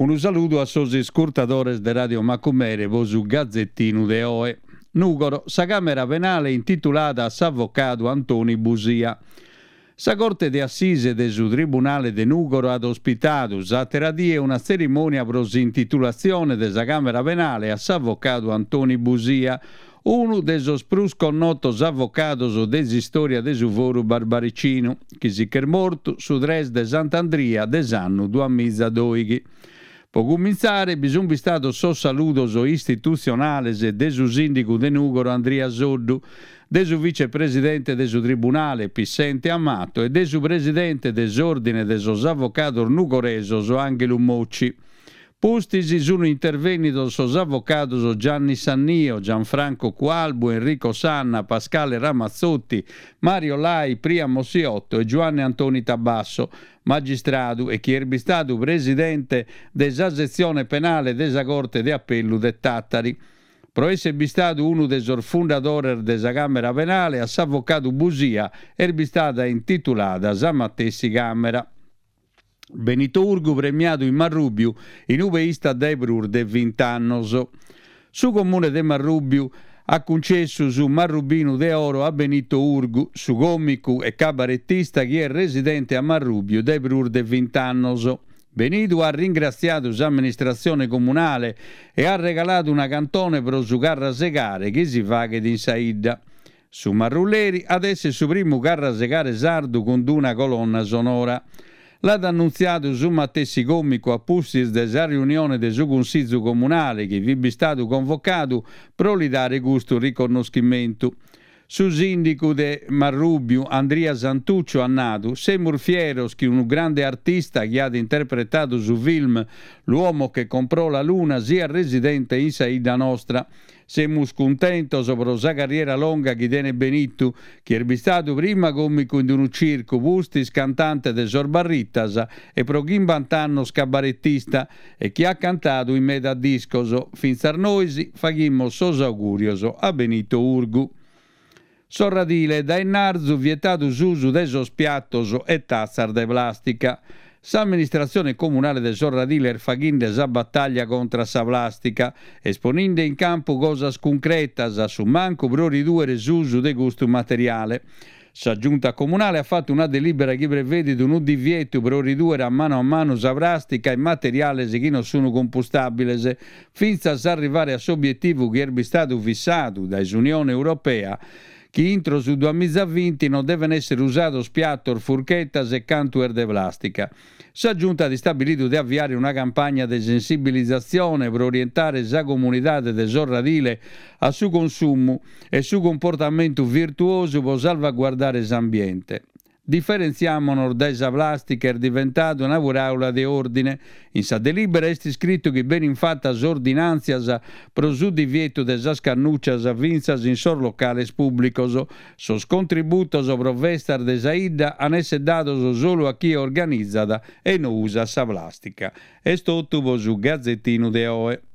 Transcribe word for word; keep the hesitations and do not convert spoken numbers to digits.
Unu saludu a sos iscurtadores de Radio Macumere po su Gazettinu de oe. Nùgoro, sa Càmera Penale intitulada a s'avocadu Antoni Busia. Sa Corte de Assise de su Tribunale de Nùgoro at ospitadu s'àtera die una tzerimònia pro s'intitulatzione de sa Càmera Penale a s'avocadu Antoni Busia, unu de sos prus connotos avocados de s'istòria de su Foru Barbaricinu, chi si ch'est mortu su tres de Sant'Andria de s'annu duamiza dòighi. Pro cumintzare bi sunt bistados sos saludos istitutzionales de su sìndigu de Nùgoro Andria Soddu, de su vicepresidente de su Tribunale Pissente Amato e de su presidente de s'Òrdine de sos Avocados Nugoresos Ànghelu Mocci. Pustis sunt intervènnidos sos avocados Gianni Sannio, Gianfranco Cualbu, Enrico Sanna, Pascale Ramazzotti, Mario Lai, Priamo Siotto e Giuanne Antoni Tabasso, magistradu e chi est bistadu presidente de sa setzione penale de sa Corte de Apellu de Tàtari. Pro èssere bistadu unu de sos fundadores de sa Càmera Penale, a s'avocadu Busia est bistada intitulada sa matessi Càmera. Benito Urgu premiadu in Marrùbiu, in ube istat dae prus de vint'annos. Su Comune de Marrùbiu at cuncessu su Marrubinu de Oro a Benito Urgu, su còmicu e cabaretista chi est residente a Marrùbiu dae prus de vint'annos. Benidu at ringratziadu s'amministratzione comunale e at regaladu una cantone pro su carrasegare chi si faghet in sa 'idda. Su Marrulleri at èssere su primu carrasegare sardu cun d'una colonna sonora. L'at annuntziadu su matessi còmicu a pustis de sa riunione de su Cunsizu Comunale chi fit bistadu convocadu pro li dare custu riconnoschimentu. Su sìndicu de Marrùbiu, Andria Santuccio, at nadu, Semus fieros chi unu grande artista chi at interpretadu su film L'uomo che comprò la luna siat residente in sa 'idda nostra. Semus cuntentos pro sa carriera longa chi tenet Benitu, chi est bistadu prima còmicu in unu circu, pustis cantante de sos Barritas e pro chimbant'annos cabaretista e chi at cantadu in meda discos. Fintzas nois faghimus sos augùrios a Benito Urgu. Sorradile, dae 'ennarzu vietadu s'usu de sos piatos e tatzas de plàstica. S'amministratzione comunale de Sorradile est faghende sa batàllia contra a sa plàstica, est poninde in campu cosas cuncretas, a su mancu pro ridùere s'usu de custu materiale. Sa Giunta comunale at fatu una delìbera chi prevedit unu divietu pro ridùere a manu a manu sa pràstica e materiales chi non sunt compustàbiles, fintzas a arrivare a s'obietivu chi est bistadu fissadu dae s'Unione Europea, chi intro su duamiza vinti non deven èssere usados piatos, furchetas e cantu est de plàstica. Sa Giunta at istabilidu de aviare una campagna de sensibilizatzione pro orientare sa comunidade de Sorradile a su consumu e su cumportamentu virtuosu pro salvaguardare s'ambiente. Diferentziamonos dae sa plàstica est diventadu una paràula de òrdine. In sa delìbera est iscritu chi benint fatas ordinàntzias pro su divietu de sas cannuccias fintzas in sos locales pùblicos. Sos contributos pro festas de sa 'idda an èssere dados solu a chie organizat e no usat sa plàstica. Est totu pro su Gazetinu de oe.